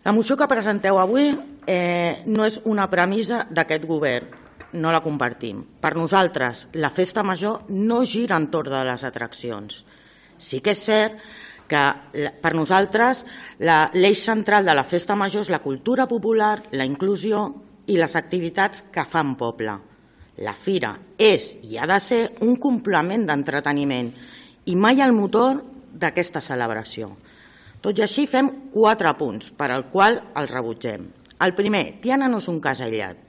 La moció que presenteu avui no és una premissa d'aquest govern, no la compartim. Per nosaltres, la festa major no gira entorn de les atraccions. Sí que és cert que per nosaltres l'eix central de la festa major és la cultura popular, la inclusió i les activitats que fan poble. La fira és i ha de ser un complement d'entreteniment i mai el motor d'aquesta celebració. Tot i així fem 4 punts per al qual els rebutgem. El primer, Tiana no és un cas aïllat.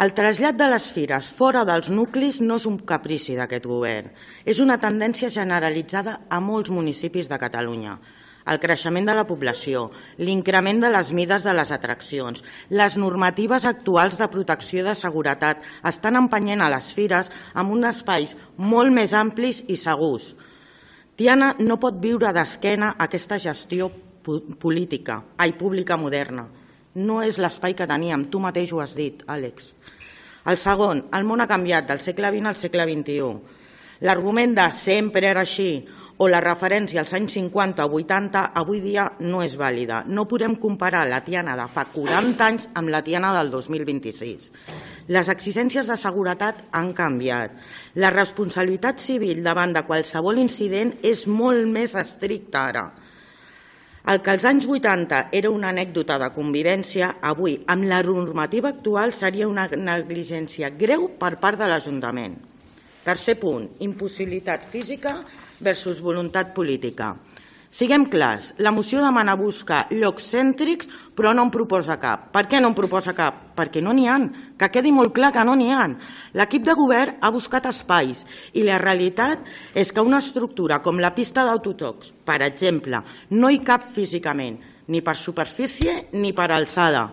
El trasllat de les fires fora dels nuclis no és un caprici d'aquest govern, és una tendència generalitzada a molts municipis de Catalunya. El creixement de la població, l'increment de les mides de les atraccions, les normatives actuals de protecció de seguretat estan empenyent a les fires amb uns espais molt més amplis i segurs. Tiana no pot viure d'esquena a aquesta gestió pública moderna. No és l'espai que teníem, tu mateix ho has dit, Àlex. El segon, el món ha canviat del segle XX al segle XXI. L'argument de sempre era així o la referència als anys 50 o 80 avui dia no és vàlida. No podem comparar la Tiana de fa 40 anys amb la Tiana del 2026. Les exigències de seguretat han canviat. La responsabilitat civil davant de qualsevol incident és molt més estricta ara. El que als anys 80 era una anècdota de convivència, avui, amb la normativa actual, seria una negligència greu per part de l'Ajuntament. Tercer punt, impossibilitat física versus voluntat política. Siguem clars, la moció demana buscar llocs cèntrics, però no en proposa cap. Per què no en proposa cap? Perquè no n'hi ha, que quedi molt clar que no n'hi ha. L'equip de govern ha buscat espais i la realitat és que una estructura com la pista d'autotocs, per exemple, no hi cap físicament, ni per superfície ni per alçada.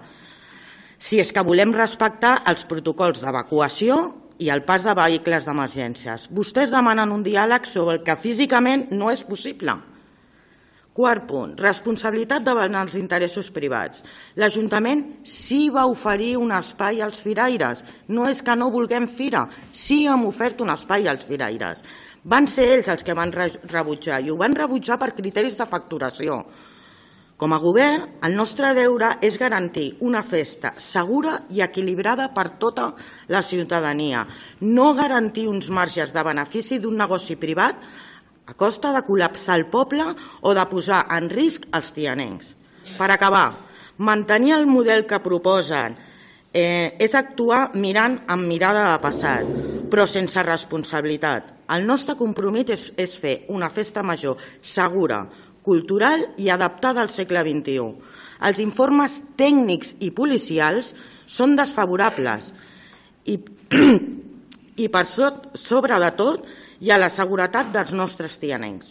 Si és que volem respectar els protocols d'evacuació i el pas de vehicles d'emergències. Vostès demanen un diàleg sobre el que físicament no és possible. Quart punt, responsabilitat davant els interessos privats. L'Ajuntament sí va oferir un espai als firaires. No és que no vulguem fira, sí hem ofert un espai als firaires. Van ser ells els que van rebutjar i ho van rebutjar per criteris de facturació. Com a govern, el nostre deure és garantir una festa segura i equilibrada per tota la ciutadania, no garantir uns marges de benefici d'un negoci privat a costa de col·lapsar el poble o de posar en risc els tianencs. Per acabar, mantenir el model que proposen és actuar mirant amb mirada de passat, però sense responsabilitat. El nostre compromís és fer una festa major segura, cultural i adaptada al segle XXI. Els informes tècnics i policials són desfavorables i per sobre de tot hi ha la seguretat dels nostres tianencs.